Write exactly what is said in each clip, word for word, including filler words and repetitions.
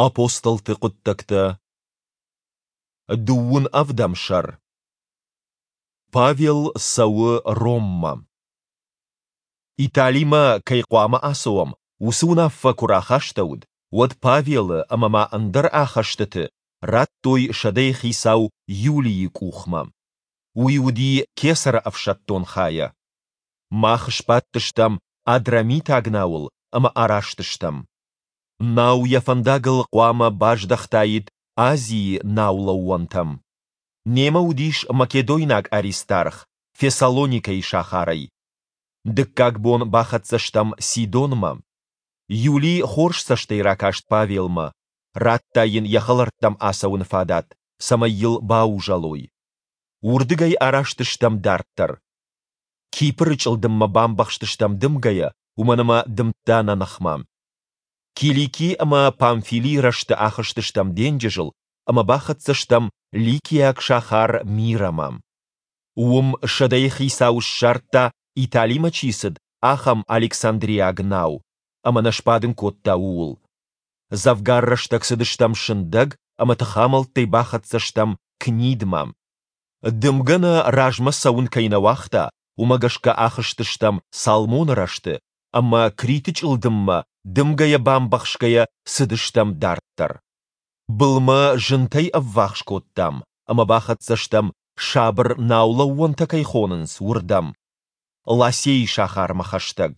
Апостолты хъуыддӕгтӕ, дыууын ӕвдӕм сӕр. Павел цӕуы Роммӕ. Италимӕ кӕй хъуамӕ ацӕуӕм, уыцы уынаффӕ куы рахастӕуыд, уӕд Павелы ӕмӕ ма ӕндӕр ахӕстыты радтой сӕдӕйыхицау Юлийы къухмӕ. Уый уыди кесӕры ӕфсӕддон хайӕ. Мах сбадтыстӕм Адрамитаг науыл ӕмӕ араст стӕм. Нау йӕ фӕндагыл хъуамӕ баздӕхтаид Азийы наулӕууӕнтӕм. Немӕ уыдис македойнаг Аристарх Фессалоникӕйы сахарӕй. Дыккаг бон бахӕццӕ стӕм Сидонмӕ. Юли хорз цӕстӕй ракаст Павелмӕ, радта йын йӕ хӕлӕрттӕм ацӕуыны фадат, цӕмӕй йыл баузӕлой. Уырдыгӕй араст стӕм дарддӕр. Кипры чъылдыммӕ бамбӕхстыстӕм дымгӕйӕ, уымӕн ӕмӕ дымдта нӕ ныхмӕ. Килики ӕмӕ Памфилийы рӕзты ахызтыстӕм денджызыл ӕмӕ бахӕццӕ стӕм ликиаг сахар Мирамӕ. Уым сӕдӕйыхицау ссардта, Италимӕ чи цыд, ахӕм александриаг нау, ӕмӕ нӕ сбадын кодта ууыл. Дзӕвгар рӕстӕг цыдыстӕм сындӕг ӕмӕ тыхамӕлттӕй бахӕццӕ стӕм Книдмӕ. Дымгӕ нӕ размӕ цӕуын кӕй нӕ уагъта, уымӕ гӕсгӕ ахызтыстӕм Салмоны рӕзты ӕмӕ Криты чъылдыммӕ дымгӕйӕ бамбӕхсгӕйӕ цыдыстӕм дарддӕр. Былмӕ зынтӕй ӕввахс кодтам ӕмӕ бахӕццӕ стӕм, сабыр наулӕууӕнтӕ кӕй хонынц, уырдӕм, Ласейы сахармӕ хӕстӕг.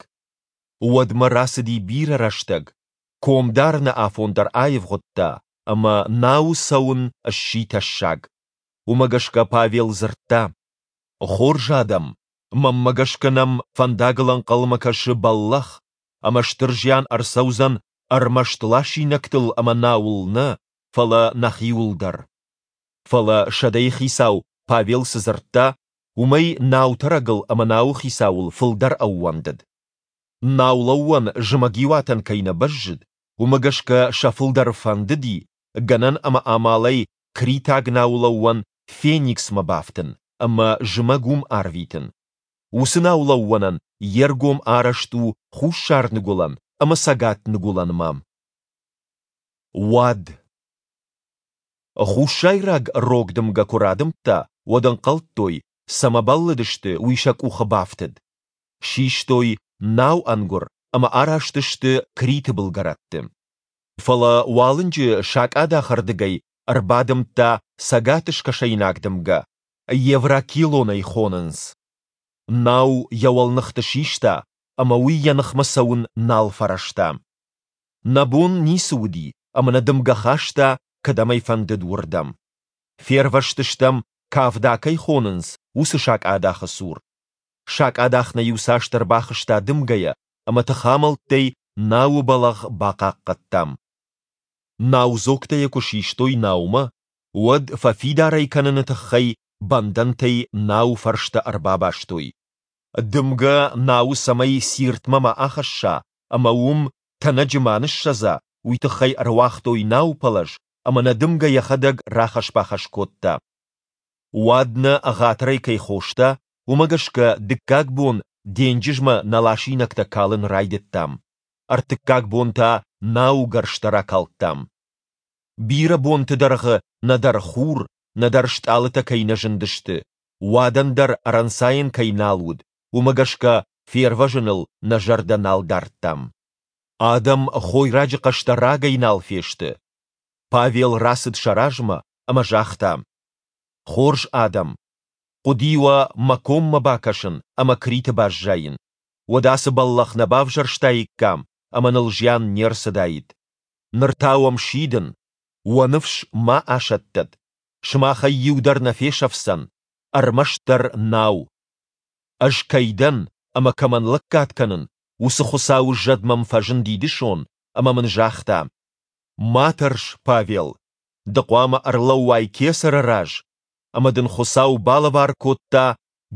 Уӕдмӕ рацыди бирӕ рӕстӕг, ком дарыны афон дӕр аивгъуыдта, ӕмӕ науы цӕуын сси тӕссаг. Уымӕ гӕсгӕ Павел дзырдта: Хорз адӕм, мӕнмӕ гӕсгӕ нӕм фӕндагыл ӕнхъӕлмӕ кӕсы бӕллӕх, ӕмӕ стыр зиан ӕрцӕудзӕн ӕрмӕст ласинӕгтыл ӕмӕ науыл нӕ, фӕлӕ нӕхиуыл дӕр. Фӕлӕ сӕдӕйыхицау Павел цы дзырдта, уымӕй наутӕрӕгыл ӕмӕ науы хицауыл фылдӕр ӕууӕндыд. Наулӕууӕн зымӕгиуатӕн кӕй нӕ бӕззыд, уымӕ гӕсгӕ сӕ фылдӕры фӕндыди, гӕнӕн ӕмӕ амалӕй критаг наулӕууӕн Фениксмӕ бафтын ӕмӕ зымӕг уым арвитын. Уыцы наулӕууӕнӕн йе ргом арӕзт у хуссар-ныгуылӕн ӕмӕ цӕгат-ныгуылӕнмӕ. Уад. Хуссайраг рог дымгӕ куы радымдта, уӕд ӕнхъӕлдтой, цӕмӕ бӕллыдысты, уый сӕ къухы бафтыд. Систой нау ӕнгуыр ӕмӕ араст сты Криты былгӕрӕтты. Фӕлӕ уалынджы сакъадахы рдыгӕй ӕрбадымдта цӕгат-скӕсӕйнаг дымгӕ, Евракилон ӕй хонынц. Нау йӕ уӕлныхты систа, ӕмӕ уый йӕ ныхмӕ цӕуын нал фӕрӕзта. Нӕ бон ницы уыди, ӕмӕ нӕ дымгӕ хаста, кӕдӕм ӕй фӕндыд, уырдӕм. Фервӕзтыстӕм, Кавда кӕй хонынц, уыцы сакъадахы цур. Сакъадах нӕ иуцасдӕр бахызта дымгӕйӕ, ӕмӕ тыхамӕлттӕй науы бӕлӕгъ бахъахъхъӕдтам. Наудзогтӕ йӕ куы систой наумӕ, уӕд фӕфидар ӕй кӕныны тыххӕй бӕндӕнтӕй науы фӕрстӕ ӕрбабастой. Дымгӕ науы цӕмӕй Сиртмӕ ма ахӕсса ӕмӕ уым тӕнӕджы ма ныссӕдза, уый тыххӕй ӕруагътой наупӕлӕз ӕмӕ нӕ дымгӕ йӕхӕдӕг рахӕсс-бахӕсс кодта. Уад нӕ ӕгъатырӕй кӕй хоста, уымӕ гӕсгӕ дыккаг бон денджызмӕ нӕ ласинӕгтӕ калын райдыдтам, ӕртыккаг бон та науы гӕрзтӕ ракалдтам. Бирӕ бонты дӕргъы нӕдӕр хур, нӕдӕр стъалытӕ кӕй нӕ зындысты, уадӕн дӕр ӕрӕнцайӕн кӕй нал уыд, уымӕ гӕсгӕ фервӕзыныл нӕ зӕрдӕ нал дардтам. Адӕм хойраджы хъӕстӕ рагӕй нал фесты. Павел рацыд сӕ размӕ ӕмӕ загъта: Хорз адӕм, хъуыди уӕ мӕ коммӕ бакӕсын ӕмӕ Криты баззайын, уӕд ацы бӕллӕх нӕ бавзӕрстаиккам ӕмӕ ныл зиан не рцыдаид. Ныр та уӕм сидын, уӕ ныфс ма асӕттӕд, сымахӕй иу дӕр нӕ фесӕфдзӕн, ӕрмӕстдӕр нау. Ӕз кӕй дӕн ӕмӕ кӕмӕн лӕггад кӕнын, уыцы Хуыцауы зӕд мӕм фӕзынди дысон ӕмӕ мын загъта: Ма тӕрс, Павел, ды хъуамӕ ӕрлӕууай кесӕры раз, ӕмӕ дын Хуыцау балӕвар кодта,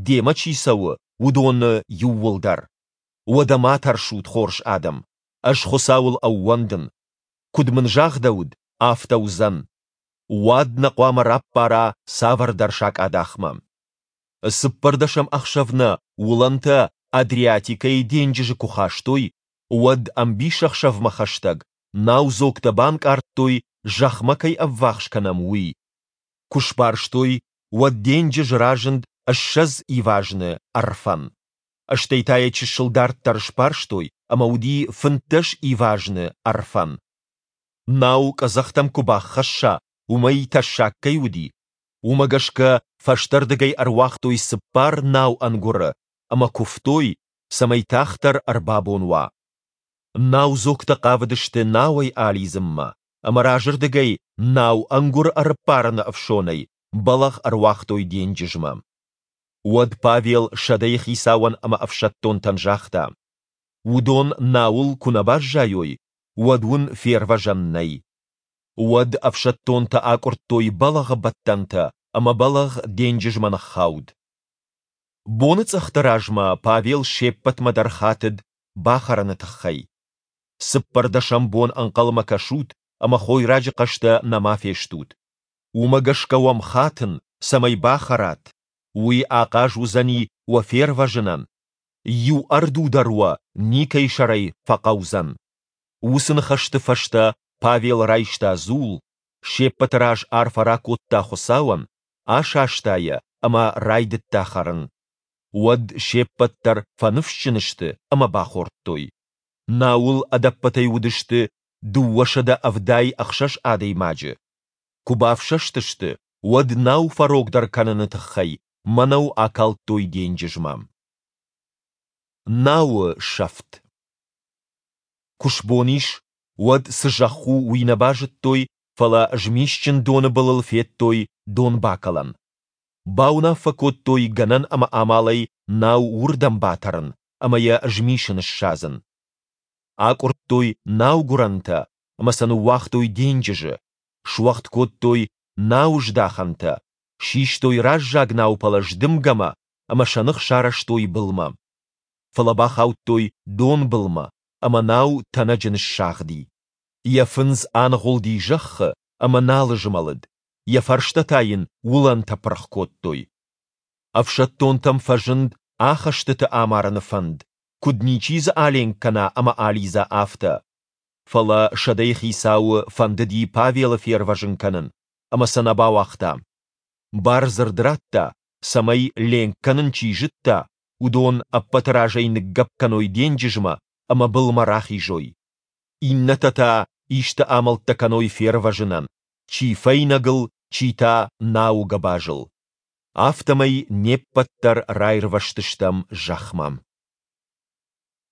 демӕ чи цӕуы, уыдоны иууылдӕр. Уӕдӕ ма тӕрсут, хорз адӕм, ӕз Хуыцауыл ӕууӕндын. Куыд мын загъдӕуыд, афтӕ уыдзӕн. Уад нӕ хъуамӕ раппара цавӕрдӕр сакъадахмӕ. Цыппӕрдӕсӕм ӕхсӕв нӕ уылӕнтӕ Адриатикӕйы денджызы куы хастой, уӕд ӕмбисӕхсӕвмӕ хӕстӕг наудзогтӕ банкъардтой, зӕхмӕ кӕй ӕввахс кӕнӕм, уый. Куы сбарстой, уӕд денджыз разынд ссӕдз ивазны ӕрфӕн. Стӕй та йӕ чысыл дарддӕр сбарстой, ӕмӕ уыди фынддӕс ивазны ӕрфӕн. Нау къӕдзӕхтӕм куы баххӕсса, уымӕй тӕссаг кӕй уыди, уымӕ гӕсгӕ фӕстӕрдыгӕй ӕруагътой цыппар нау-ӕнгуыры ӕмӕ куывтой, цӕмӕй тагъддӕр ӕрбабон уа. Наудзогтӕ хъавыдысты науӕй алидзынмӕ, ӕмӕ разырдыгӕй нау-ӕнгуыр ӕрыппарыны ӕфсонӕй бӕлӕгъ ӕруагътой денджызмӕ. Уӕд Павел сӕдӕйы хицауӕн ӕмӕ ӕфсӕддонтӕн загъта: Уыдон науыл куы нӕ баззайой, уӕд уын фервӕзӕн нӕй. Уӕд ӕфсӕддонтӕ акъуырдтой бӕлӕгъы бӕттӕнтӕ, ӕмӕ бӕлӕгъ денджызмӕ ныххауд. Боныцъӕхты размӕ Павел се ппӕтмӕ дӕр хатыд бахӕрыны тыххӕй. Цыппӕрдӕсӕм бон ӕнхъӕлмӕ кӕсут ӕмӕ хойраджы хъӕстӕ нӕма фестут. Уымӕ гӕсгӕ уӕм хатын, цӕмӕй бахӕрат. Уый ахъаз уыдзӕни уӕ фервӕзынӕн. Иу ӕрду дӕр уӕ никӕй сӕрӕй фӕхъӕудзӕн. Уыцы ныхӕсты фӕстӕ Павел райста дзул, се ппӕты раз арфӕ ракодта Хуыцауӕн, асаста йӕ ӕмӕ райдыдта хӕрын. Уӕд се ппӕт дӕр фӕныфсджын сты ӕмӕ бахордтой. Науыл ӕдӕппӕтӕй уыдысты дыууӕсӕдӕ ӕвдай ӕхсӕз адӕймаджы. Куы бафсӕстысты, уӕд нау фӕрогдӕр кӕныны тыххӕй мӕнӕу акалдтой денджызмӕ. Науы сӕфт. Куы сбон ис, уӕд цы зӕхх у, уый нӕ базыдтой, фӕлӕ змисджын доны былыл федтой донбакӕлӕн. Бауынаффӕ кодтой гӕнӕн ӕмӕ амалӕй нау уырдӕм батӕрын ӕмӕ йӕ змисы ныссадзын. Акъуырдтой наугуырӕнтӕ ӕмӕ сӕ ныууагътой денджызы, суӕгъд кодтой науыздахӕнтӕ, систой раззаг наупӕлӕз дымгӕмӕ ӕмӕ сӕ ных сарӕзтой былмӕ. Фӕлӕ бахаудтой донбылмӕ, ӕмӕ нау тӕнӕджы ныссагъди. Йӕ фындз аныгъуылди зӕххы ӕмӕ нал змӕлыд, йӕ фӕрстӕ та йын уылӕнтӕ пырх кодтой. Ӕфсӕддонтӕм фӕзынд ахӕстыты амарыны фӕнд, куыд ничи дзы аленк кӕна ӕмӕ алидза, афтӕ. Фӕлӕ сӕдӕйы хицауы фӕндыди Павелы фервӕзын кӕнын, ӕмӕ сӕ нӕ бауагъта. Бардзырд радта, цӕмӕй ленк кӕнын чи зыдта, уыдон ӕппӕты разӕй ныггӕпп кӕной денджызмӕ ӕмӕ былмӕ рахизой. Иннӕтӕ та исты амӕлттӕ кӕной фервӕзынӕн, чи фӕйнӕгыл, чи та науы гӕбазыл. Афтӕмӕй не ппӕт дӕр раирвӕзтыстӕм зӕхмӕ.